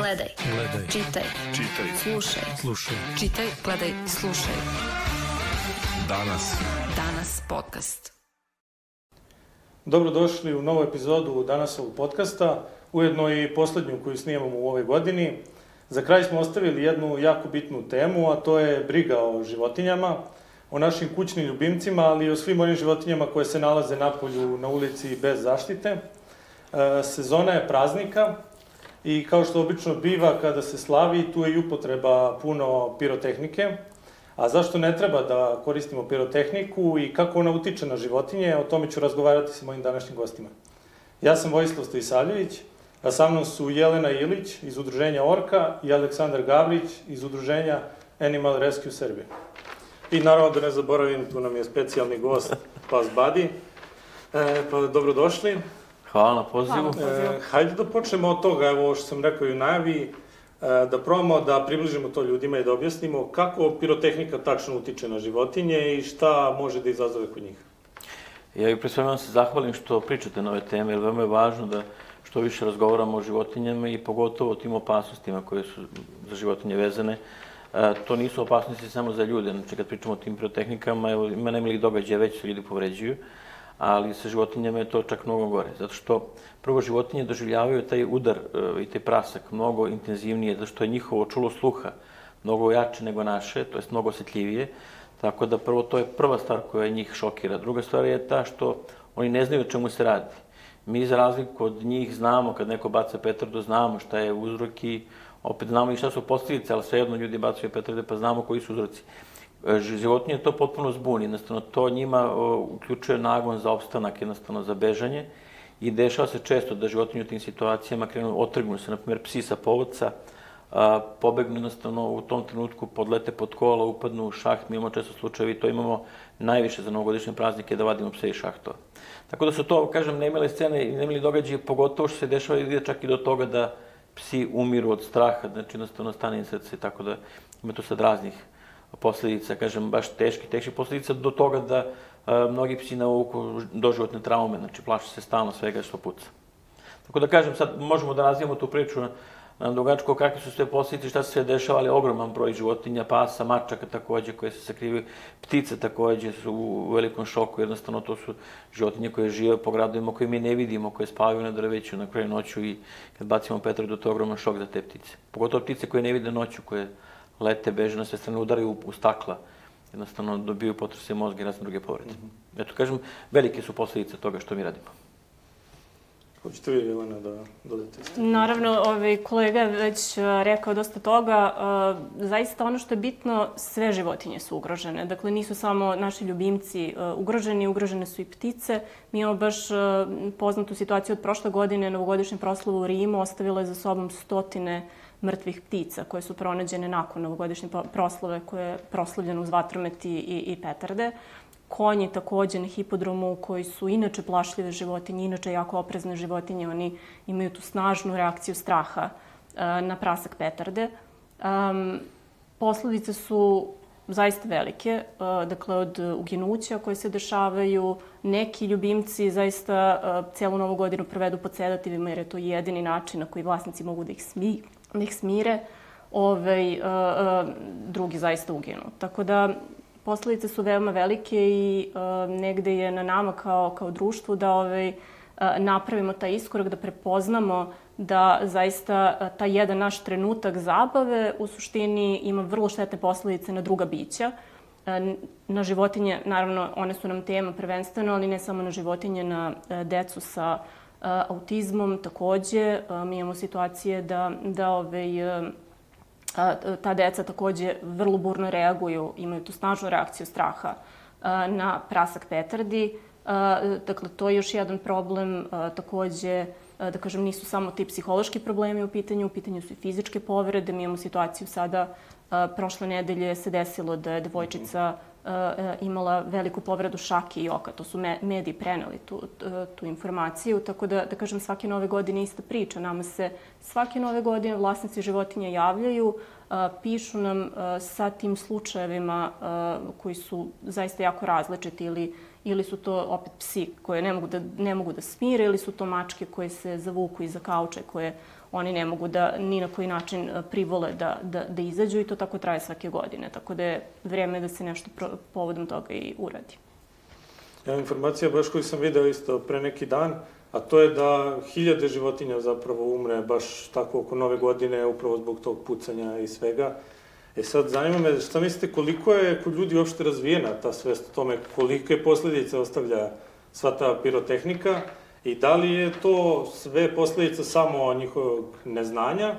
Gledaj. Čitaj. Slušaj. Čitaj, gledaj, slušaj. Danas podcast. Dobrodošli u novu epizodu Danasovog podcasta, ujedno i poslednju koju snimamo u ovoj godini. Za kraj smo ostavili jednu jako bitnu temu, a to je briga o životinjama, o našim kućnim ljubimcima, ali i o svim onim životinjama koje se nalaze napolju, na ulici bez zaštite. Sezona je praznika i kao što obično biva kada se slavi, tu je i upotreba puno pirotehnike. A zašto ne treba da koristimo pirotehniku i kako ona utiče na životinje, o tome ću razgovarati sa mojim današnjim gostima. Ja sam Vojislav Stojisavljević, a sa mnom su Jelena Ilić iz udruženja Orka i Aleksandar Gavrić iz udruženja Animal Rescue Serbia. I naravno da ne zaboravim, tu nam je specijalni gost Pas Buddy. Pa dobrodošli. Hvala na pozivu. Hajde da počnemo od toga, evo ovo što sam rekao i u najavi, da probamo da približimo to ljudima i da objasnimo kako pirotehnika tačno utiče na životinje i šta može da izazove kod njih. Ja pre svega vam se zahvalim što pričate na ove teme, jer veoma je važno da što više razgovaramo o životinjama i pogotovo o tim opasnostima koje su za životinje vezane. To nisu opasnosti samo za ljude, znači kad pričamo o tim pirotehnikama, ima nemilih događaja, već se ljudi povređuju, ali sa životinjama je to čak mnogo gore, zato što prvo životinje doživljavaju taj udar i taj prasak mnogo intenzivnije, zato što je njihovo čulo sluha mnogo jače nego naše, to jest mnogo osjetljivije, tako da prvo to je prva stvar koja njih šokira. Druga stvar je ta što oni ne znaju o čemu se radi. Mi za razliku od njih znamo, kad neko baca petardu, znamo šta je uzrok i opet znamo i šta su posljedice, ali svejedno ljudi bacaju petarde pa znamo koji su uzroci. Životinje to potpuno zbuni, jednostavno to njima uključuje nagon za opstanak, jednostavno za bežanje i dešava se često da životinje u tim situacijama otrgnu se, na primjer psi sa povodca, pobegnu jednostavno u tom trenutku, podlete pod kola, upadnu u šaht, mi imamo često slučajevi, to imamo najviše za novogodišnje praznike da vadimo pse iz šahtova. Tako da su to, kažem, nemile scene i nemili događaji, pogotovo što se dešava ide čak i do toga da psi umiru od straha, znači jednostavno stane im srce, tako da ima tu sad raznih posljedica, kažem, baš teških posljedica do toga da mnogi psi navuku doživotne traume, znači plaše se stalno svega što puca. Tako da kažem, sad možemo da razvijemo tu priču na dugačko kakve su sve posljedice, šta se sve dešava, ali ogroman broj životinja, pasa, mačaka takođe koje se sakrivaju, ptice takođe su u velikom šoku, jednostavno to su životinje koje žive po gradovima koje mi ne vidimo, koje spavaju na drveću na kraju noću i kad bacimo petardu, to je ogroman šok za te ptice. Pogotovo ptice koje ne vide noću, koje lete, beže na sve strane, udaraju u stakla, jednostavno dobiju potrese mozga i razne druge povrede. Eto, kažem, velike su posljedice toga što mi radimo. Hoćete vi, Jelena, da dodate isto? Naravno, kolega je već rekao dosta toga. Zaista ono što je bitno, sve životinje su ugrožene. Dakle, nisu samo naši ljubimci ugroženi, ugrožene su i ptice. Mi imamo baš poznatu situaciju od prošle godine, novogodišnja proslava u Rimu ostavila je za sobom stotine mrtvih ptica koje su pronađene nakon novogodišnje proslave koje je proslavljeno uz vatromet i petarde. Konji takođe na hipodromu koji su inače plašljive životinje, inače jako oprezne životinje, oni imaju tu snažnu reakciju straha na prasak petarde. Posledice su zaista velike, dakle od uginuća koje se dešavaju, neki ljubimci zaista celu novu godinu provedu pod sedativima jer je to jedini način na koji vlasnici mogu da ih smire, drugi zaista uginu. Tako da posledice su veoma velike i negde je na nama kao društvu da napravimo taj iskorak, da prepoznamo da zaista taj jedan naš trenutak zabave u suštini ima vrlo štetne posledice na druga bića. Na životinje, naravno, one su nam tema prvenstveno, ali ne samo na životinje, na decu sa autizmom takođe. Mi imamo situacije da ta deca takođe vrlo burno reaguju, imaju tu snažnu reakciju straha na prasak petardi. Dakle, to je još jedan problem. Takođe, da kažem, nisu samo ti psihološki problemi u pitanju su i fizičke povrede. Mi imamo situaciju sada, prošle nedelje se desilo da je devojčica imala veliku povredu šake i oka. To su mediji preneli tu informaciju, tako da kažem, svake nove godine ista priča. Nama se svake nove godine vlasnici životinja javljaju, pišu nam sa tim slučajevima koji su zaista jako različiti ili su to opet psi koje ne mogu da smire ili su to mačke koje se zavuku iza kauča koje oni ne mogu da ni na koji način privole da izađu i to tako traje svake godine. Tako da je vrijeme da se nešto povodom toga i uradi. Informacija baš koju sam video isto pre neki dan, a to je da 1000 životinja zapravo umre baš tako oko nove godine, upravo zbog tog pucanja i svega. Sad, zanima me, šta mislite, koliko je kod ljudi uopšte razvijena ta svest o tome, kolike posljedice ostavlja sva ta pirotehnika i da li je to sve posljedica samo njihovog neznanja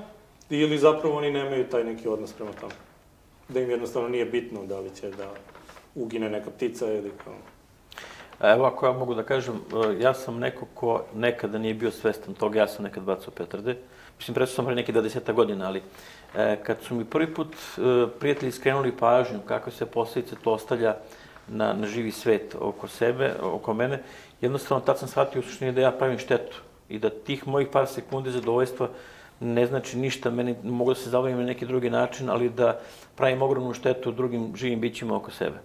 ili zapravo oni nemaju taj neki odnos prema tome? Da im jednostavno nije bitno da li će da ugine neka ptica ili kao... Evo, ako ja mogu da kažem, ja sam neko ko nekada nije bio svestan toga, ja sam nekad bacao petarde. Mislim, presto sam pre neki 20 godina, ali kad su mi prvi put prijatelji skrenuli pažnju kakve se posljedice to ostavlja na živi svet oko sebe, oko mene, jednostavno tad sam shvatio u suštini da ja pravim štetu i da tih mojih par sekundi zadovoljstva ne znači ništa, meni mogu da se zabavim na neki drugi način, ali da pravim ogromnu štetu drugim živim bićima oko sebe.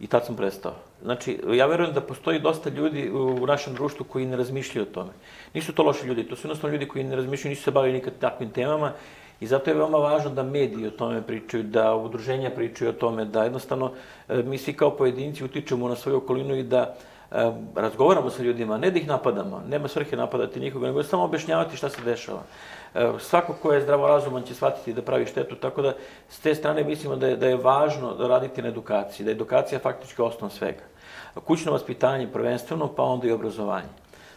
I tad sam prestao. Znači, ja verujem da postoji dosta ljudi u našem društvu koji ne razmišljaju o tome. Nisu to loši ljudi, to su jednostavno ljudi koji ne razmišljaju, nisu se bavili nikad takvim temama i zato je veoma važno da mediji o tome pričaju, da udruženja pričaju o tome, da jednostavno mi svi kao pojedinci utičemo na svoju okolinu i da razgovaramo sa ljudima, ne da ih napadamo, nema svrhe napadati nikoga, nego samo objašnjavati šta se dešava. Svako ko je zdravorazuman će shvatiti da pravi štetu, tako da s te strane mislimo da je važno da raditi na edukaciji, da je edukacija faktički osnov svega. Kućno vaspitanje prvenstveno, pa onda i obrazovanje.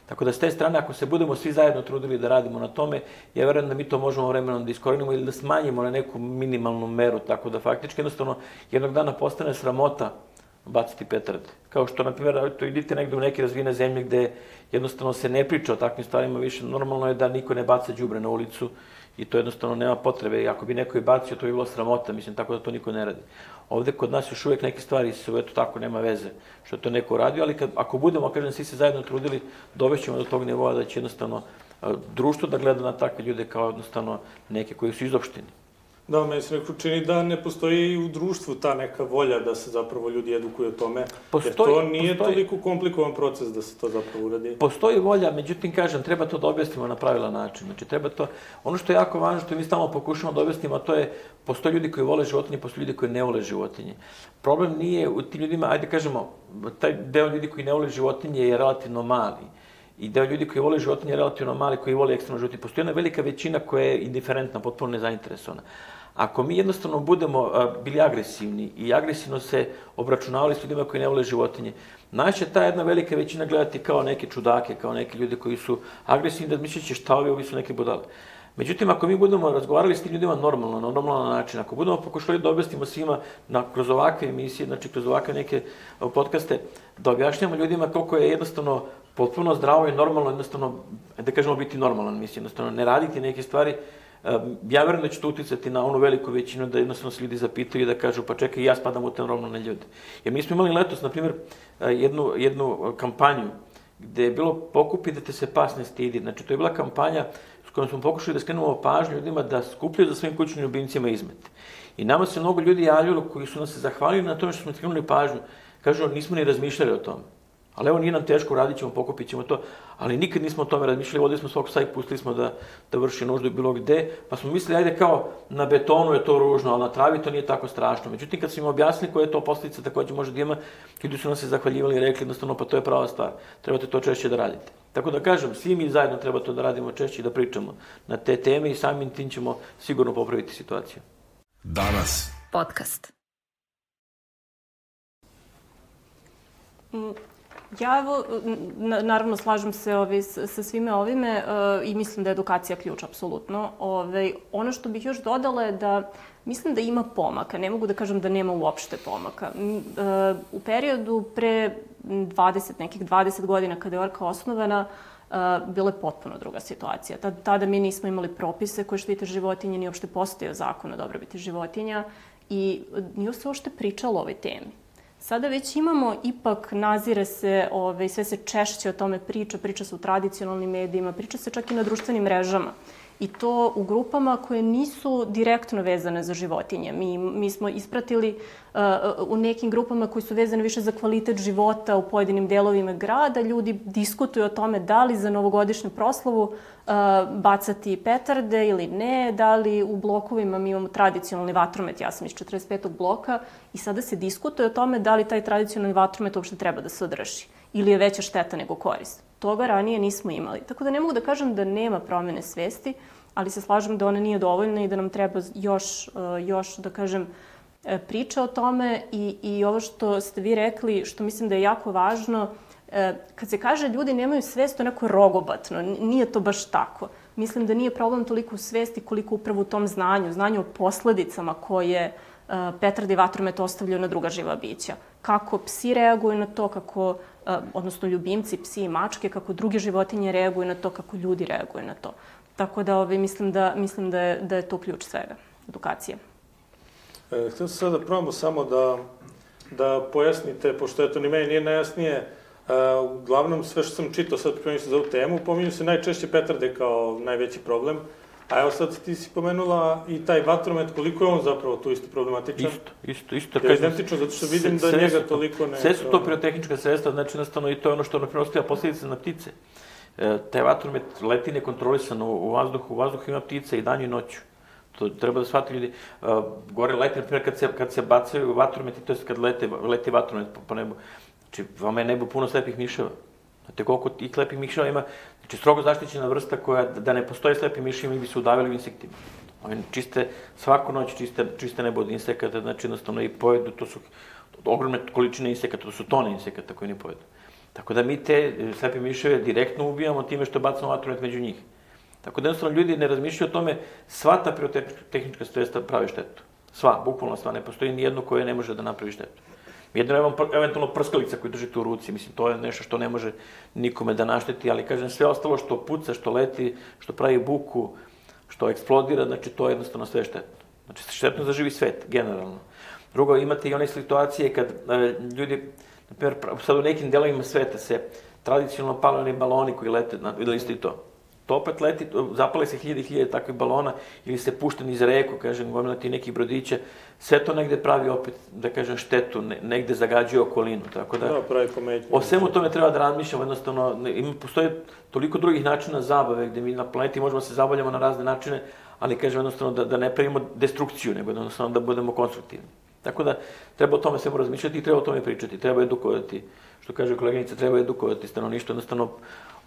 Tako da s te strane, ako se budemo svi zajedno trudili da radimo na tome, ja verujem da mi to možemo vremenom da iskorenimo ili da smanjimo na neku minimalnu meru, tako da faktički jednostavno jednog dana postane sramota baciti petarde. Kao što, na primjer, idite negde u neke razvijene zemlje gde jednostavno se ne priča o takvim stvarima više. Normalno je da niko ne baca đubre na ulicu i to jednostavno nema potrebe. I ako bi neko i bacio, to bi bilo sramota, mislim, tako da to niko ne radi. Ovde kod nas još uvijek neke stvari su, eto tako, nema veze što je to neko radio, ali ako budemo, kažem, svi se zajedno trudili, dovešćemo do tog nivoa da će jednostavno društvo da gleda na takve ljude kao jednostavno neke koji su izopšteni. Da, meni se neko čini da ne postoji u društvu ta neka volja da se zapravo ljudi edukuju o tome, jer to nije toliko komplikovan proces da se to zapravo uradi. Postoji volja, međutim, kažem, treba to da objasnimo na pravilan način. Znači, treba to, ono što je jako važno, što mi stalno pokušamo da objasnimo, a to je, postoje ljudi koji vole životinje, postoje ljudi koji ne vole životinje. Problem nije u tim ljudima, ajde kažemo, taj deo ljudi koji ne vole životinje je relativno mali. I deo ljudi koji vole životinje je relativno mali, koji vole ekstremno životinje. Postoji jedna velika većina koja je indiferentna, potpuno nezainteresovana. Ako mi jednostavno budemo bili agresivni i agresivno se obračunavali s ljudima koji ne vole životinje, najče ta jedna velika većina gledati kao neke čudake, kao neke ljude koji su agresivni, da misliće šta ovi su neke budale. Međutim, ako mi budemo razgovarali s tim ljudima normalno, na normalan način, ako budemo pokušali da objasnimo svima kroz ovakve emisije, znači kroz ovakve neke podcaste, da objašnjamo ljudima koliko je jednostavno potpuno zdravo i normalno, jednostavno, da kažemo, biti normalan, mislim, jednostavno ne raditi neke stvari, ja verujem da će to uticati na onu veliku većinu da jednostavno se ljudi zapitaju i da kažu pa čekaj, ja spadam u te normalne ljude. Jer mi smo imali letos, na primjer, jednu kampanju gde je bilo pokupi da te se pas ne stidi. Znači, to je bila kampanja s kojom smo pokušali da skrenemo pažnju ljudima da skupljaju za svojim kućnim ljubimcima izmete. I nama se mnogo ljudi javljalo koji su nas se zahvalili na tome što smo skrenuli pažnju. Kažu, nismo ni razmišljali o tome. Ali evo, nije nam teško, radit ćemo, pokupit ćemo to, ali nikad nismo o tome razmišljali, vodili smo svog psa i pustili smo da vrši nuždu bilo gde, pa smo mislili, ajde kao na betonu je to ružno, ali na travi to nije tako strašno. Međutim, kad smo im objasnili koja je to posljedica takođe može da ima, ljudi su nas se zahvaljivali i rekli jednostavno, pa to je prava stvar, trebate to češće da radite. Tako da kažem, svi mi zajedno treba to da radimo češće i da pričamo na te teme i samim tim ćemo sigurno popraviti situaciju. Danas. Podcast. Ja evo, naravno, slažem se sa svime ovime i mislim da je edukacija ključ, apsolutno. Ono što bih još dodala je da mislim da ima pomaka. Ne mogu da kažem da nema uopšte pomaka. U periodu pre 20 godina kada je Orka osnovana, bila je potpuno druga situacija. Tada mi nismo imali propise koje štite životinje, ni uopšte postojao zakon o dobrobiti životinja i nije se uopšte pričalo o ovoj temi. Sada već imamo, ipak nazire se, sve se češće o tome priča se u tradicionalnim medijima, priča se čak i na društvenim mrežama. I to u grupama koje nisu direktno vezane za životinje. Mi smo ispratili u nekim grupama koji su vezane više za kvalitet života u pojedinim delovima grada. Ljudi diskutuju o tome da li za novogodišnju proslavu bacati petarde ili ne, da li u blokovima mi imamo tradicionalni vatromet, ja sam iz 45. bloka, i sada se diskutuje o tome da li taj tradicionalni vatromet uopšte treba da se održi ili je veća šteta nego korist. Toga ranije nismo imali. Tako da ne mogu da kažem da nema promene svesti, ali se slažem da ona nije dovoljna i da nam treba još da kažem, priča o tome i ovo što ste vi rekli, što mislim da je jako važno, kad se kaže ljudi nemaju svest, to je neko rogobatno, nije to baš tako. Mislim da nije problem toliko u svesti koliko upravo u tom znanju o posledicama koje petarde i vatromet ostavljaju na druga živa bića. Kako psi reaguju na to, odnosno ljubimci, psi i mačke, kako druge životinje reaguju na to, kako ljudi reaguju na to. Tako da mislim da je to ključ svega, edukacija. Htio sam sada probamo samo da pojasnite, pošto eto ni meni nije najjasnije, uglavnom sve što sam čitao sad pripremio se za ovu temu, pominju se najčešće petarde kao najveći problem, a evo sad ti si pomenula i taj vatromet, koliko je on zapravo tu isto problematičan? Isto. Je identično, zato što vidim da njega toliko ne... Sve su to pirotehnička sredstva, znači jednostavno i to je ono što ostavlja posljedice na ptice. Taj vatromet leti nekontrolisano u vazduhu, ima ptice i danju i noću. To treba da shvati ljudi. Gore leti, na primjer, kad se bacaju vatrometi, to je kad leti vatromet po nebu. Znači, vama je nebo puno slepih miševa. Znate koliko tih slepih miševa ima? Znači, strogo zaštićena vrsta koja, da ne postoje slepi miševi, mi bi se udavili u insektima. Oni čiste, svaku noć čiste nebo od insekata, znači jednostavno i pojedu, to su ogromne količine insekata, to su tone insekata koji ne pojedu. Tako da mi te slepe miševe direktno ubijamo time što bacamo vatromet među njih. Tako da jednostavno ljudi ne razmišljaju o tome, sva ta pirotehnička sredstva pravi štetu. Sva, bukvalno sva, ne postoji nijedno koje ne može da napravi štetu. Jedno eventualno prskalica koju držite u ruci, mislim, to je nešto što ne može nikome da našteti, ali kažem, sve ostalo što puca, što leti, što pravi buku, što eksplodira, znači to je jednostavno sve štetno. Znači štetno za živi svet, generalno. Drugo, imate i one situacije kad ljudi, na primjer, sad u nekim delovima sveta se tradicionalno pale oni baloni koji lete, videli ste i to. To opet leti, zapale se hiljade takvih balona ili se pušta niz reku, kažem, gomilati nekih brodića, sve to negde pravi opet, da kažem, štetu, negde zagađuje okolinu, tako da... Da, pravi pometnje. O svemu tome treba da razmišljamo, jednostavno, postoje toliko drugih načina zabave gde mi na planeti možemo se zabavljamo na razne načine, ali, kažem, jednostavno, da ne pravimo destrukciju, nego jednostavno da budemo konstruktivni. Tako da, treba o tome svemu razmišljati i treba o tome pričati, treba edukovati, što kaže koleginica, treba edukovati stanovništvo, jednostavno,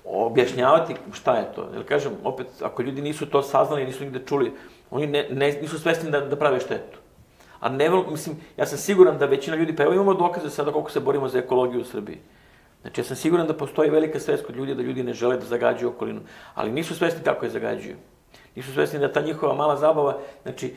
objašnjavati šta je to. Jer kažem, opet, ako ljudi nisu to saznali, nisu nigde čuli, oni nisu svesni da prave štetu. A mislim, ja sam siguran da većina ljudi, pa evo imamo dokaze sada koliko se borimo za ekologiju u Srbiji. Znači, ja sam siguran da postoji velika svest kod ljudi, da ljudi ne žele da zagađuju okolinu, ali nisu svesni kako je zagađuju. Nisu svesni da ta njihova mala zabava, znači,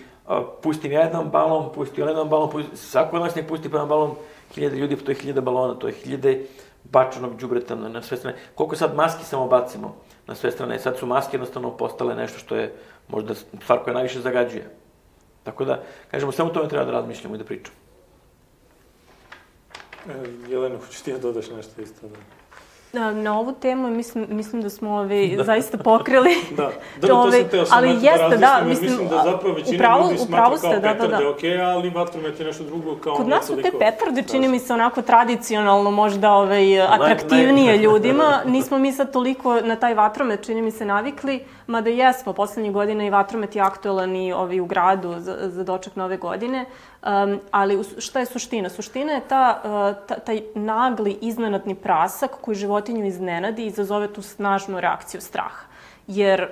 pustim ja jedan balon, pusti on jedan balon, svako od nas nek pusti pa jedan balon, 1000 ljudi, to je 1000 balona, to je 1000 bačenog đubreta na sve strane. Koliko sad maski samo bacimo na sve strane, sad su maske jednostavno postale nešto što je možda stvar koja najviše zagađuje. Tako da, kažemo, samo tome treba da razmišljamo i da pričamo. Jelena, hoćeš ti ja dodaš nešto isto? Na ovu temu mislim da smo zaista pokrili. Da, to sam teo sam da različnim, mislim da zapravo većina ljudi smatra kao petarde okej, ali vatromet je nešto drugo kao... Kod nas su te petarde, čini mi se onako tradicionalno možda atraktivnije ljudima. Nismo mi sad toliko na taj vatromet, čini mi se, navikli, mada jesmo, poslednjih godina i vatromet je aktualan i u gradu za doček nove godine. Ali šta je suština? Suština je taj nagli, iznenadni prasak koji životinju iznenadi i izazove tu snažnu reakciju straha. Jer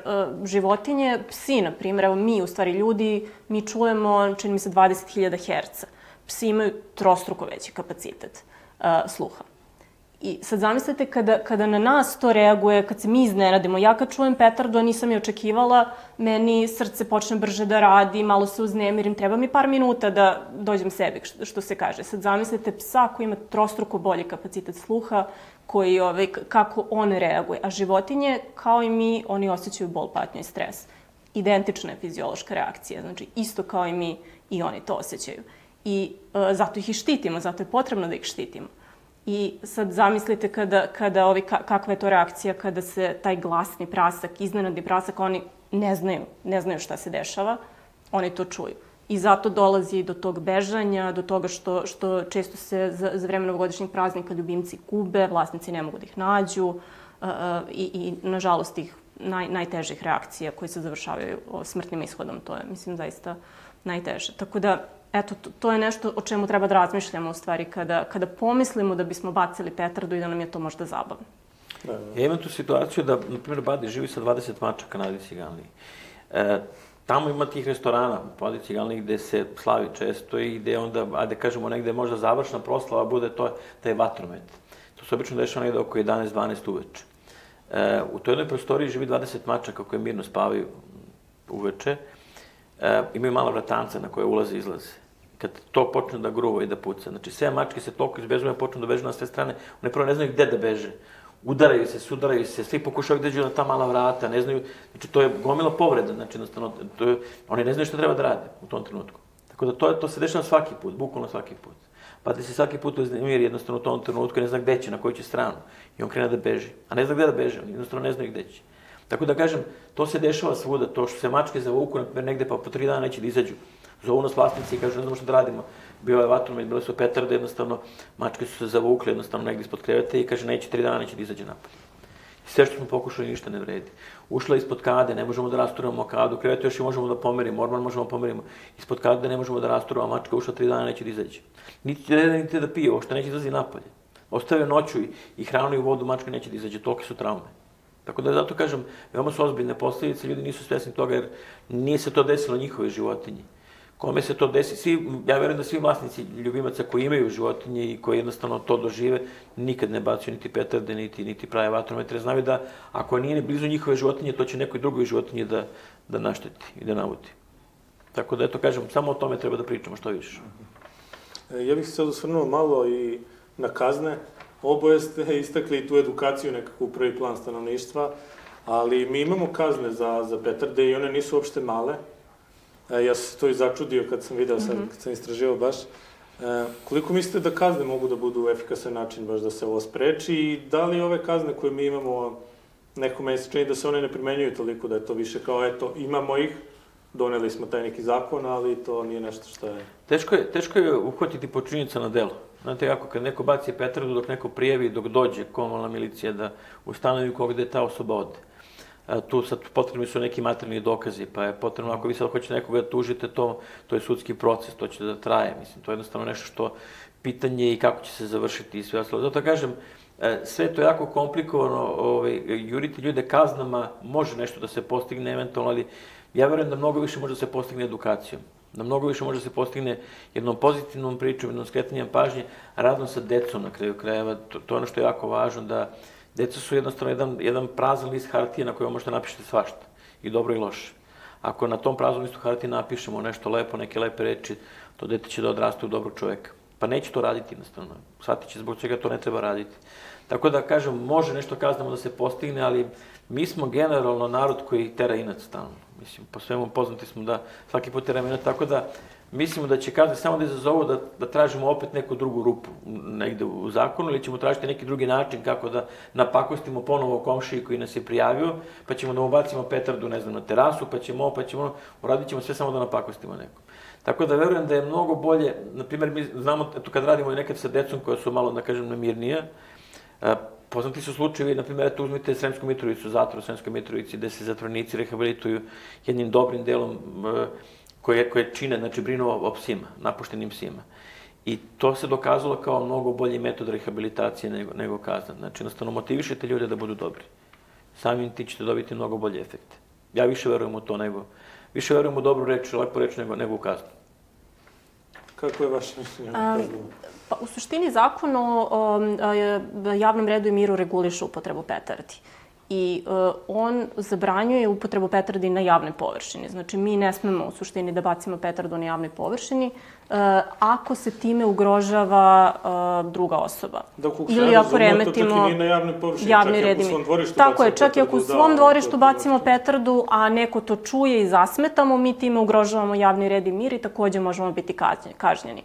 životinje, psi, na primjer, evo mi, u stvari ljudi, mi čujemo, čini mi se, 20.000 Hz. Psi imaju trostruko veći kapacitet sluha. I sad zamislite kada na nas to reaguje, kad se mi iznenadimo. Ja kad čujem petardu, a nisam je očekivala, meni srce počne brže da radi, malo se uznemirim, treba mi par minuta da dođem sebi, što se kaže. Sad zamislite psa koji ima trostruko bolji kapacitet sluha, kako on reaguje. A životinje, kao i mi, oni osjećaju bol, patnju i stres. Identična je fiziološka reakcija, znači isto kao i mi i oni to osjećaju. I zato ih i štitimo, zato je potrebno da ih štitimo. I sad zamislite kakva je to reakcija kada se taj glasni prasak, iznenadni prasak, oni ne znaju šta se dešava, oni to čuju. I zato dolazi do tog bežanja, do toga što često se za vreme novogodišnjeg praznika ljubimci gube, vlasnici ne mogu da ih nađu i nažalost, tih najtežih reakcija koje se završavaju smrtnim ishodom. To je, mislim, zaista najteže. Tako da, eto, to je nešto o čemu treba da razmišljamo u stvari kada pomislimo da bismo bacili petardu i da nam je to možda zabavno. Ja imam tu situaciju da, na primjer, Badi živi sa 20 mačaka na Adi Ciganliji. Tamo ima tih restorana po Adi Ciganliji gde se slavi često i gde onda, ajde kažemo, negde možda završna proslava bude taj vatromet. To se obično dešava negde oko 11-12 uveče. U toj jednoj prostoriji živi 20 mačaka koje mirno spavaju uveče. Imaju mala vratanca na koje ulaze i izlaze. Kad to počne da gruva i da puca, znači sve mačke se toliko izbežuju, počnu da bežu na sve strane, one prvo ne znaju gde da beže. Udaraju se, svi pokušaju da dođu na ta mala vrata, ne znaju, znači to je gomila povreda, znači jednostavno, oni ne znaju šta treba da rade u tom trenutku. Tako da to se dešava svaki put, bukvalno svaki put. Pa da se svaki put uznemiri jednostavno u tom trenutku i ne zna gde će, na koju će stranu. I on krene da beži. A ne zna gde da beže, oni jednostavno ne znaju gde će. Tako da kažem, to se dešava svuda, to što se mačke zavuku, naprimjer, negde pa po 3 dana neće da izađu. Zovu nas vlasnici i kažu, ne znamo šta da radimo. Bio je vatromet, bile su petarde, jednostavno, mačke su se zavukle, jednostavno, negdje ispod kreveta i kaže, 3 dana neće da izađe napad. I sve što smo pokušali, ništa ne vredi. Ušla ispod kade, ne možemo da rasturamo kadu, krevet još i možemo da pomerimo, orman možemo da pomerimo. Ispod kade ne možemo da rasturamo, mačka ušla 3 dana, neće da izađe. Niti da pije, uopšte neće da izađe napolje. Ostavio noću i hranu i vodu, mačka neće da izađe, tolike su traume. Tako da zato kažem, veoma su ozbiljne posljedice, ljudi nisu svesni toga jer nije se to desilo njihove životinji. Kome se to desi, ja verujem da svi vlasnici ljubimaca koji imaju životinje i koji jednostavno to dožive, nikad ne bacaju niti petarde, niti prave vatrometre. Znaju da ako nije ni blizu njihove životinje, to će nekoj drugoj životinji da našteti i da navuti. Tako da, eto, kažem, samo o tome treba da pričamo što više. Ja bih se sad osvrnuo malo i na kazne. Oboje ste istakli i tu edukaciju nekako u prvi plan stanovništva, ali mi imamo kazne za petarde i one nisu uopšte male. Ja sam se to i začudio kad sam video sad, kad sam istraživao baš. Koliko mislite da kazne mogu da budu efikasan način baš da se ovo spreči i da li ove kazne koje mi imamo nekome se čini da se one ne primenjuju toliko, da je to više kao eto imamo ih, doneli smo taj neki zakon, ali to nije nešto što je... Teško je uhvatiti počinjenica na delo. Znate kako, kad neko baci petardu, dok neko prijavi, dok dođe komunalna milicija da ustanovi gde ta osoba ode. Tu sad potrebni su neki materijalni dokazi, pa je potrebno, ako vi sad hoćete nekoga da tužite, to je sudski proces, to će da traje, mislim, to je jednostavno nešto što pitanje i kako će se završiti i sve ostalo. Zato kažem, sve to je jako komplikovano, juriti ljude kaznama, može nešto da se postigne eventualno, ali ja verujem da mnogo više može da se postigne edukacijom, da mnogo više može da se postigne jednom pozitivnom pričom, jednom skretanjem pažnje, radom sa decom na kraju krajeva, to je ono što je jako važno, da deca su jednostavno jedan prazan list hartije na kojem možete napišete svašta, i dobro i loše. Ako na tom praznom listu hartije napišemo nešto lepo, neke lepe reči, to dete će da odraste u dobrog čoveka. Pa neće to raditi jednostavno, shvatit će zbog čega to ne treba raditi. Tako da, kažem, može nešto kaznamo da se postigne, ali mi smo generalno narod koji tera inat stalno. Mislim, po svemu poznati smo da svaki put teramo inat, tako da mislimo da će kazne samo da izazovu da tražimo opet neku drugu rupu negde u zakonu ili ćemo tražiti neki drugi način kako da napakostimo ponovo komšiji koji nas je prijavio, pa ćemo da mu bacimo petardu, ne znam, na terasu, pa ćemo uradit ćemo sve samo da napakostimo nekom. Tako da verujem da je mnogo bolje, na primjer, mi znamo, eto kad radimo i nekad sa decom koja su malo, da kažem, namirnija, poznati su slučajevi, na primjer, eto uzmite Sremsku Mitrovicu, zatvor u Sremskoj Mitrovici, gde se zatvorenici rehabilituju jednim dobrim delom koje čine, znači brinu o psima, napuštenim psima. I to se dokazalo kao mnogo bolji metod rehabilitacije nego kazna. Znači, jednostavno, motivišete ljude da budu dobri. Samim ti ćete dobiti mnogo bolje efekte. Ja više verujem u to više verujem u dobru reč, lepu reč nego u kaznu. Kako je vaše mišljenje? Pa, u suštini, zakon o javnom redu i miru reguliše upotrebu petardi. I on zabranjuje upotrebu petardi na javnoj površini. Znači, mi ne smemo u suštini da bacimo petardu na javnoj površini ako se time ugrožava druga osoba. Ili ako remetimo javni red i mir. Tako je, čak i ako u svom dvorištu bacimo petardu, a neko to čuje i zasmetamo, mi time ugrožavamo javni red i mir i takođe možemo biti kažnjeni.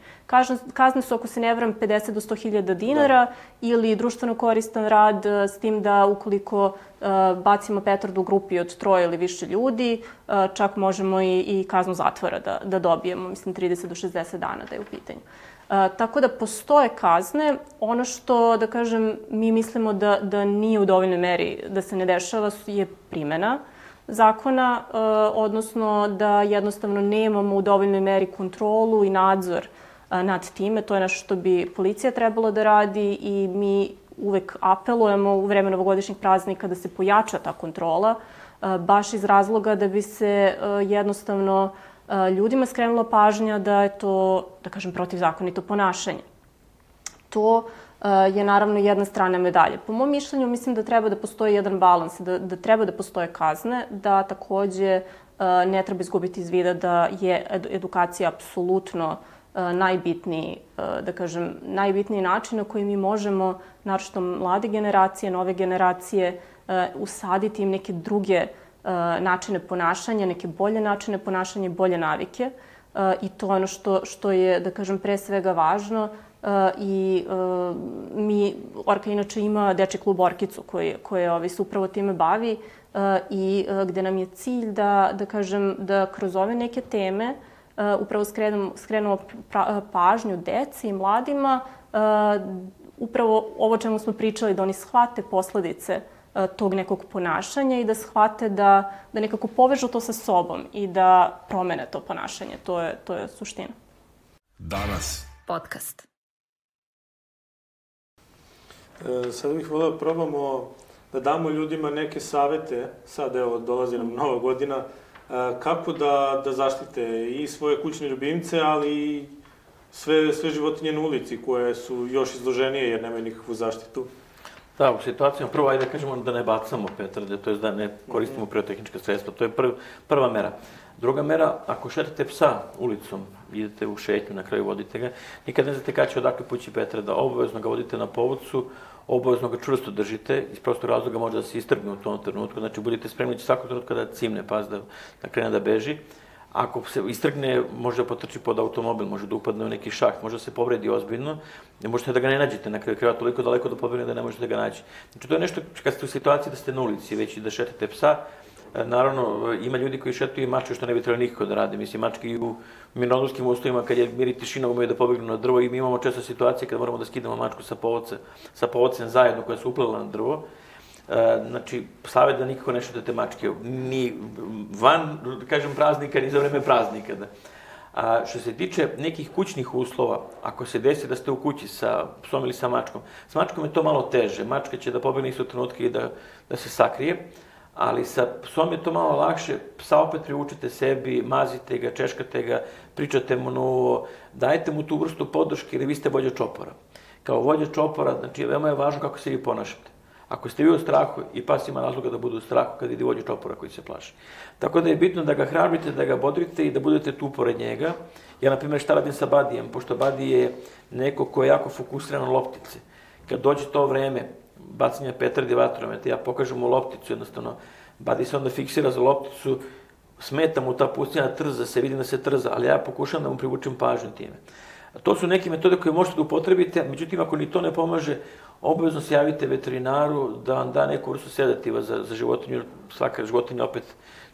Kazne su, ako se ne varam, 50 do 100.000 dinara ili društveno koristan rad, s tim da ukoliko bacimo petardu u grupi od 3 ili više ljudi, čak možemo i kaznu zatvora da dobijemo, mislim 30 do 60 dana da je u pitanju. Tako da postoje kazne. Ono što, da kažem, mi mislimo da nije u dovoljnoj meri da se ne dešava je primjena zakona, odnosno da jednostavno nemamo u dovoljnoj meri kontrolu i nadzor nad time. To je nešto što bi policija trebalo da radi i mi uvek apelujemo u vreme novogodišnjih praznika da se pojača ta kontrola, baš iz razloga da bi se jednostavno ljudima skrenula pažnja da je to, da kažem, protivzakonito ponašanje. To je naravno jedna strana medalje. Po mom mišljenju mislim da treba da postoji jedan balans, da treba da postoje kazne, da takođe ne treba izgubiti iz vida da je edukacija apsolutno najbitniji, da kažem, najbitniji način na koji mi možemo, naročito mlade generacije, nove generacije, usaditi im neke druge načine ponašanja, neke bolje načine ponašanja i bolje navike. I to je ono što je, da kažem, pre svega važno. I Orka inače ima dečji klub Orkicu koji se upravo time bavi i gde nam je cilj da kažem, da kroz ove neke teme upravo skrenemo pažnju deci i mladima, upravo ovo čemu smo pričali, da oni shvate posledice tog nekog ponašanja i da shvate da nekako povežu to sa sobom i da promene to ponašanje. To je suština. Danas. Podcast. Sada bih voleo da probamo da damo ljudima neke savete, sad evo dolazi nam Nova godina, kako da zaštite i svoje kućne ljubimce, ali i sve životinje na ulici koje su još izloženije jer nemaju nikakvu zaštitu. Da, u situacijama prvo, ajde da kažemo da ne bacamo petarde, to je da ne koristimo pirotehnička sredstva, to je prva mera. Druga mera, ako šetate psa ulicom, idete u šetnju, na kraju vodite ga, nikad ne znate kada će odakle pući petarda, obavezno ga vodite na povodcu, obavezno ga čvrsto držite, iz prostog razloga može da se istrgne u tom trenutku, znači budite spremni da će svakog trenutka da cimne pas, da krene da beži. Ako se istrgne, može da potrči pod automobil, može da upadne u neki šaht, može da se povredi ozbiljno, ne možete da ga ne nađete na kraju krajeva toliko daleko da pobegne da ne možete da ga naći. Znači to je nešto kad ste u situaciji da ste na ulici već i da šetate psa. Naravno, ima ljudi koji šetuju i mačke što ne bi trebalo nikako da rade. Mislim, mačke i u mirnodolskim uslovima kad je mir i tišina umeju da pobegnu na drvo i mi imamo često situacije kad moramo da skidamo mačku sa povodcem zajedno koja se uplela na drvo. Znači, savjet da nikako ne šetate mačke, ni van, da kažem, praznika, ni za vreme praznika. A što se tiče nekih kućnih uslova, ako se desi da ste u kući sa psom ili sa mačkom, s mačkom je to malo teže. Mačka će da pobegne isto trenutka i da se sakrije, ali sa psom je to malo lakše. Psa opet privučete sebi, mazite ga, češkate ga, pričate mu novo, dajete mu tu vrstu podrške jer vi ste vođa čopora. Kao vođa čopora, znači, veoma je važno kako se vi ponašate. Ako ste vi u strahu, i pas ima razloga da bude u strahu kad vidi vođu čopora koji se plaši. Tako da je bitno da ga hrabrite, da ga bodrite i da budete tu pored njega. Ja, na primjer, šta radim sa Badijem, pošto Badi je neko ko je jako fokusiran na loptice. Kad dođe to vreme bacanja petardi vatrometa, ja pokažem mu lopticu, jednostavno, Badi se onda fiksira za lopticu, smeta mu ta pustinja trza se, vidim da se trza, ali ja pokušam da mu privučem pažnju time. To su neke metode koje možete da upotrebite, međutim, ako ni to ne pomaže, obavezno se javite veterinaru da vam da neku vrstu sedativa za životinju. Svaka životinja opet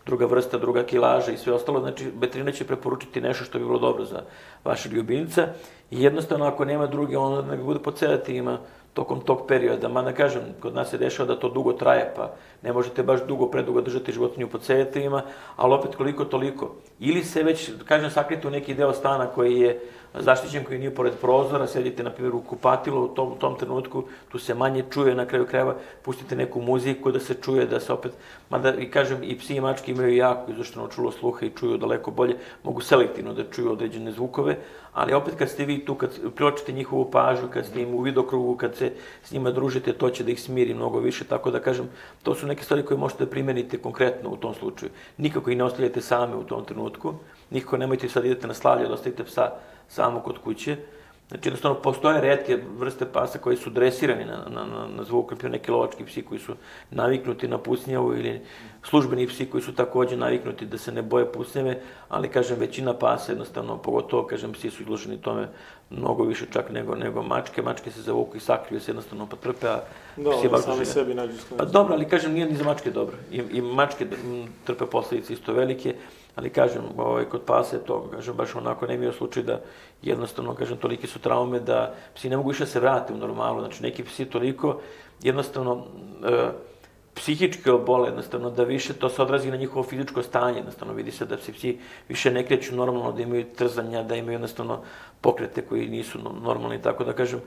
druga vrsta, druga kilaža i sve ostalo. Znači, veterinar će preporučiti nešto što bi bilo dobro za vašeg ljubimca. I jednostavno, ako nema druge, onda nek bude pod sedativima tokom tog perioda. Mada kažem, kod nas se dešava da to dugo traje, pa ne možete baš predugo držati životinju pod sedativima, ali opet koliko toliko. Ili se već, kažem, sakrite u neki deo stana koji je zaštićen, koji nije pored prozora, sedite, na primjer, u kupatilu u tom trenutku, tu se manje čuje, na kraju krajeva, pustite neku muziku da se čuje, da se opet, mada i kažem, i psi i mačke imaju jako izušteno čulo sluha i čuju daleko bolje, mogu selektivno da čuju određene zvukove, ali opet kad ste vi tu, kad priočite njihovu pažnju, kad ste im u vidokrugu, kad se s njima družite, to će da ih smiri mnogo više, tako da kažem, to su neke stvari koje možete da primenite konkretno u tom slučaju. Nikako ih ne ostavljate same u tom trenutku, nikako nemojte sad idete na slavlje da ostavite psa samo kod kuće, Znači, jednostavno, postoje retke vrste pasa koji su dresirani na zvuk, naprimjer neki lovački psi koji su naviknuti na pucnjavu ili službeni psi koji su takođe naviknuti da se ne boje pucnjave, ali, kažem, većina pasa jednostavno, pogotovo, kažem, psi su izloženi tome mnogo više čak nego mačke. Mačke se zavuku i sakriju se jednostavno pa trpe, a psi baš sami sebi nađu Pa dobro, ali, kažem, nije ni za mačke dobro. I mačke trpe posledice isto velike. Ali, kažem, kod pasa je to, kažem, baš onako nemio slučaj da jednostavno, kažem, toliki su traume da psi ne mogu više se vrate u normalu. Znači, neki psi toliko jednostavno psihički obole, jednostavno, da više to se odrazi na njihovo fizičko stanje. Jednostavno, vidi se da se psi više ne kreću normalno, da imaju trzanja, da imaju jednostavno pokrete koji nisu normalni. Tako da, kažem,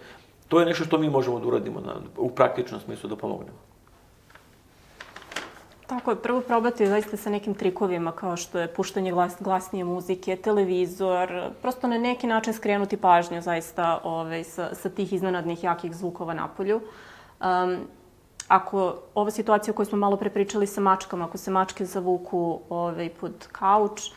to je nešto što mi možemo da uradimo u praktičnom smislu da pomognemo. Tako je, prvo probati zaista sa nekim trikovima kao što je puštanje glasnije muzike, televizor, prosto na neki način skrenuti pažnju zaista sa tih iznenadnih jakih zvukova napolju. Ako ova situacija o kojoj smo malo pre pričali sa mačkama, ako se mačke zavuku pod kauč,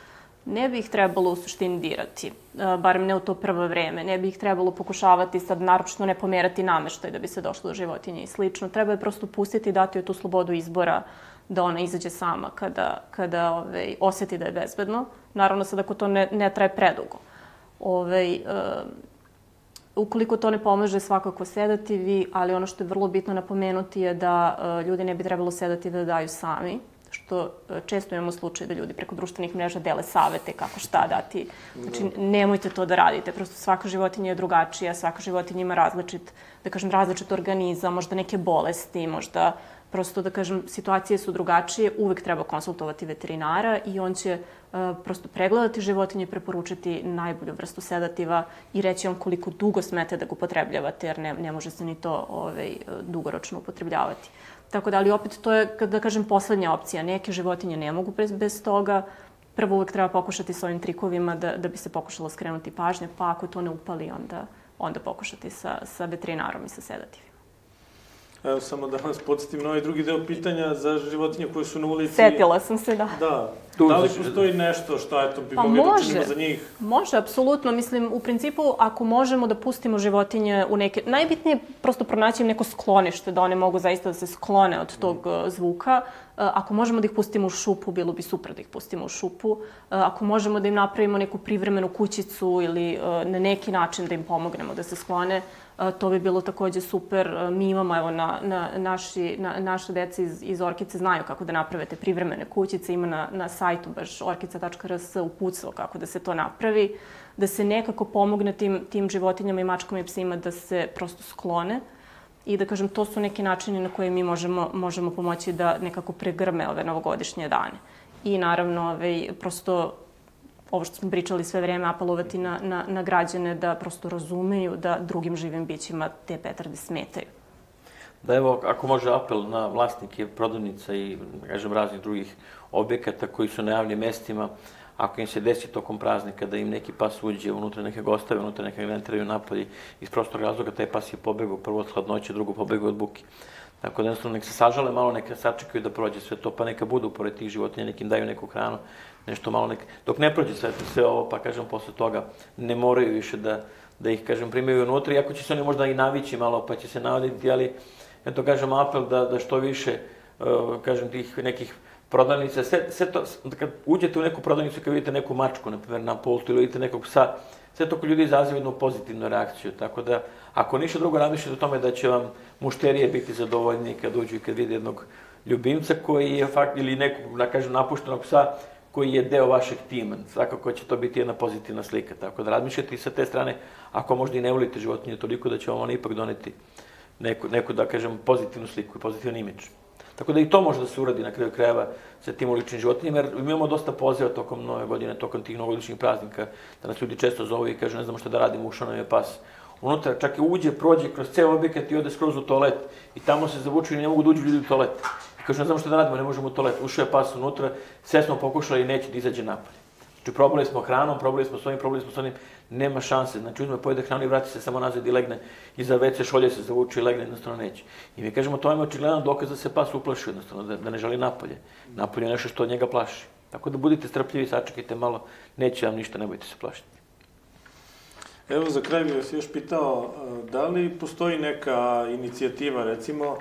ne bi ih trebalo u suštini dirati, barem ne u to prvo vreme. Ne bi ih trebalo pokušavati sad naročito ne pomerati nameštaj da bi se došlo do životinje i slično. Treba je prosto pustiti i dati joj tu slobodu izbora da ona izađe sama kada osjeti da je bezbedno. Naravno sad ako to ne traje predugo. Ukoliko to ne pomaže, svakako sedativi, ali ono što je vrlo bitno napomenuti je da ljudi ne bi trebalo sedati da daju sami, što često imamo slučaj da ljudi preko društvenih mreža dele savete kako šta dati. Znači, nemojte to da radite. Prosto svaka životinja je drugačija, svaka životinja ima različit organizam, možda neke bolesti, možda prosto, da kažem, situacije su drugačije, uvek treba konsultovati veterinara i on će prosto pregledati životinje, preporučiti najbolju vrstu sedativa i reći vam koliko dugo smete da ga upotrebljavate, jer ne može se ni to dugoročno upotrebljavati. Tako da, ali opet to je, da kažem, poslednja opcija. Neke životinje ne mogu bez toga. Prvo uvek treba pokušati s ovim trikovima da bi se pokušalo skrenuti pažnja, pa ako to ne upali, onda pokušati sa veterinarom i sa sedativima. Evo, samo da vas podsjetim na ovaj drugi deo pitanja za životinje koje su na ulici. Setila sam se, da. Da. Da li postoji nešto što bi mogli da učinimo za njih? Može, apsolutno. Mislim, u principu, ako možemo da pustimo životinje u neke... Najbitnije je prosto pronaći im neko sklonište, da one mogu zaista da se sklone od tog zvuka. Ako možemo da ih pustimo u šupu, bilo bi super da ih pustimo u šupu. Ako možemo da im napravimo neku privremenu kućicu ili na neki način da im pomognemo da se sklone, to bi bilo takođe super. Mi imamo, evo, naše dece iz Orkice znaju kako da naprave te privremene kućice. Ima na sajtu baš orkica.rs uputstvo kako da se to napravi, da se nekako pomogne tim životinjama i mačkama i psima da se prosto sklone. I da kažem, to su neki načini na koje mi možemo pomoći da nekako pregrme ove novogodišnje dane. I naravno, prosto ovo što smo pričali sve vreme, apelovati na građane da prosto razumeju da drugim živim bićima te petarde smetaju. Da, evo, ako može apel na vlasnike prodavnica i, kažem, raznih drugih objekata koji su na javnim mestima, ako im se desi tokom praznika da im neki pas uđe unutra, neke gostave, unutra neke ga ne teraju napolje, iz prostog razloga taj pas je pobegao prvo od hladnoće, drugo pobegao od buke. Tako da jednostavno nek se sažale malo, neka sačekaju da prođe sve to, pa neka budu pored tih životinja, nek im daju neku hranu, nešto malo dok ne prođe sve ovo, pa kažem, posle toga ne moraju više da ih, kažem, primaju unutra, iako će se oni možda i navići malo, pa će se navaditi, ali eto, kažem, apel da što više, kažem, tih nekih prodavnica, sve to, kad uđete u neku prodavnicu, kad vidite neku mačku, na primjer, na pultu ili vidite nekog psa, sve to kod ljudi izaziva jednu pozitivnu reakciju, tako da, ako ništa drugo razmišljate o tome da će vam mušterije biti zadovoljni kad uđu i kad vide jednog ljubimca koji je ili nekog, da kažem, napuštenog psa koji je deo vašeg tima. Svakako će to biti jedna pozitivna slika, tako da razmišljate i sa te strane, ako možda i ne volite životinje toliko, da će vam ona ipak doneti neku, da kažem, pozitivnu sliku i pozitivan imidž. Tako da i to može da se uradi na kraju krajeva sa tim uličnim životinjima, jer imamo dosta poziva tokom nove godine, tokom tih novogodišnjih praznika, da nas ljudi često zovu i kažu ne znamo šta da radimo, ušao nam je pas unutra, čak i uđe, prođe kroz ceo objekat i ode skroz u toalet i tamo se zavuču i ne mogu da uđu ljudi u toalet. I kažu ne znamo šta da radimo, ne možemo u toalet, ušao je pas unutra, sve smo pokušali i neće da izađe napolje. Znači probali smo hranom, probali smo s onim, nema šanse. Znači uzme, pojede hranu i vrati se samo nazad i legne iza WC šolje se zavuče i legne, jednostavno neće. I mi kažemo, to je očigledan dokaz da se pas uplaši, jednostavno, da ne želi napolje. Napolje je nešto što od njega plaši. Tako da budite strpljivi, sačekajte malo, neće vam ništa, ne bojte se plašiti. Evo, za kraj bih vas još pitao, da li postoji neka inicijativa, recimo,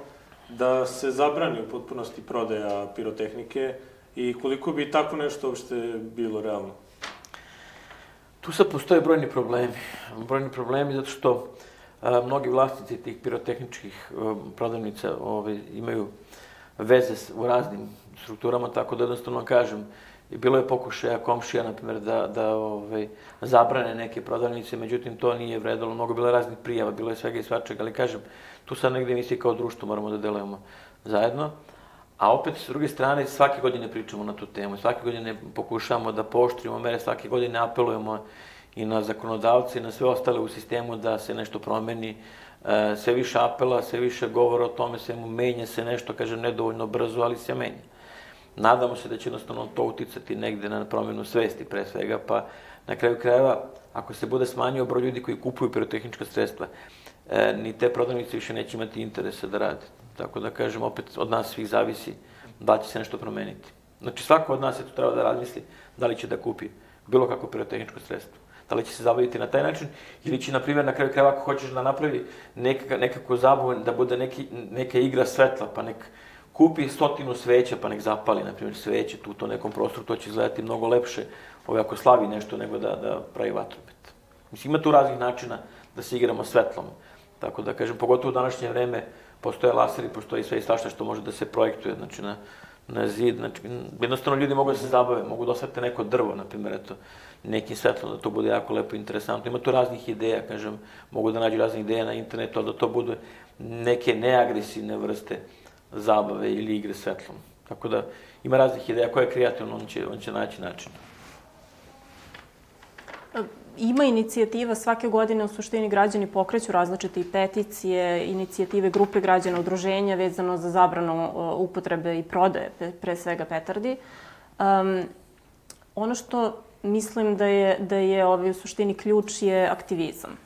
da se zabrani u potpunosti prodaja pirotehnike i koliko bi tako nešto uopšte bilo realno? Tu sad postoje brojni problemi. Brojni problemi zato što mnogi vlasnici tih pirotehničkih prodavnica imaju veze u raznim strukturama, tako da jednostavno kažem, bilo je pokušaja komšija, na primjer, da zabrane neke prodavnice, međutim, to nije vredalo. Mnogo bilo raznih prijava, bilo je svega i svačega, ali kažem, tu sad negde mi svi kao društvo moramo da delujemo zajedno. A opet, s druge strane, svake godine pričamo na tu temu, svake godine pokušavamo da pooštrimo mere, svake godine apelujemo i na zakonodavce i na sve ostale u sistemu da se nešto promeni. Sve više apela, sve više govora o tome, svemu menja se nešto, kažem, nedovoljno brzo, ali se menja. Nadamo se da će jednostavno to uticati negde na promjenu svesti pre svega, pa na kraju krajeva, ako se bude smanjio broj ljudi koji kupuju pirotehnička sredstva, ni te prodavnice više neće imati interesa da rade. Tako da kažem, opet od nas svih zavisi da će se nešto promeniti. Znači svako od nas je tu treba da razmisli da li će da kupi bilo kako pirotehničko sredstvo. Da li će se zabaviti na taj način ili će, na primjer, na kraju krajeva ako hoćeš da napravi nekako zabavu, da bude neka igra svetla, pa nek kupi 100 sveća pa nek zapali, na primjer, sveće tu u to nekom prostoru, to će izgledati mnogo lepše ako slavi nešto nego da pravi vatromet. Mislim, ima tu raznih načina da se igramo svetlom. Tako da, kažem, pogotovo u današnje vreme postoje laseri, postoji sve i svašta što može da se projektuje, znači na zid, znači, jednostavno ljudi mogu da se zabave, mogu da osvete neko drvo, na primjer, eto, nekim svetlom, da to bude jako lepo i interesantno. Ima tu raznih ideja, kažem, mogu da nađu raznih ideja na internetu, da to bude neke neagresivne vrste zabave ili igre svetlom. Tako da, ima raznih ideja, ko je kreativno, on će naći način. Ima inicijativa, svake godine u suštini građani pokreću različite i peticije, inicijative grupe građana, udruženja vezano za zabranu upotrebe i prodaje, pre svega petardi. Ono što mislim da je u suštini ključ je aktivizam.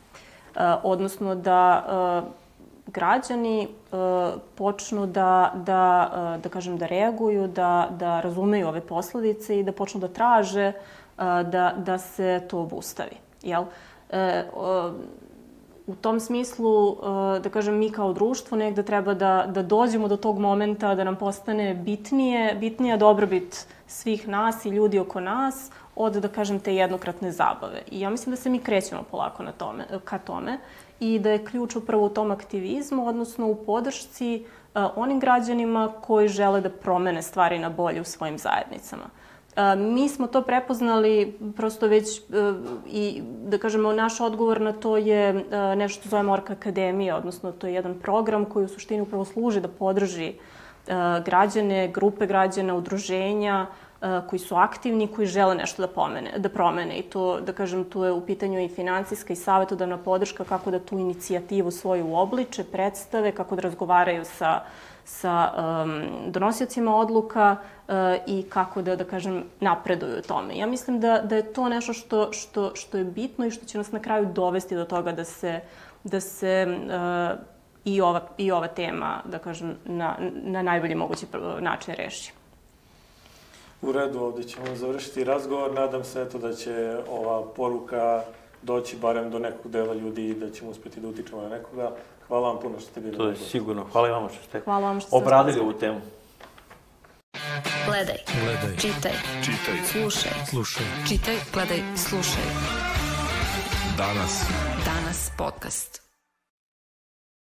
Odnosno da građani počnu da reaguju, da razumeju ove posledice i da počnu da traže da se to obustavi. U tom smislu, da kažem, mi kao društvo negde treba da dođemo do tog momenta da nam postane bitnija dobrobit svih nas i ljudi oko nas od, da kažem, te jednokratne zabave. I ja mislim da se mi krećemo polako ka tome i da je ključ upravo u tom aktivizmu, odnosno u podršci onim građanima koji žele da promene stvari na bolje u svojim zajednicama. Mi smo to prepoznali prosto već i, da kažemo, naš odgovor na to je nešto što zovemo Orka akademija, odnosno to je jedan program koji u suštini upravo služi da podrži građane, grupe građana, udruženja koji su aktivni, koji žele nešto da promene. I to, da kažem, tu je u pitanju i finansijska i savjetodavna podrška kako da tu inicijativu svoju uobliče, predstave, kako da razgovaraju sa donosiocima odluka i kako da kažem, napreduju u tome. Ja mislim da je to nešto što je bitno i što će nas na kraju dovesti do toga da se i ova tema, da kažem, na najbolji mogući način reši. U redu, ovdje ćemo završiti razgovor. Nadam se da će ova poruka doći barem do nekog dela ljudi i da ćemo uspjeti da utičemo na nekoga. Hvala vam puno što ste bili. To je sigurno. Hvala i vama što ste obradili ovu temu. Gledaj. Čitaj. Slušaj. Čitaj, gledaj, slušaj. Danas podcast.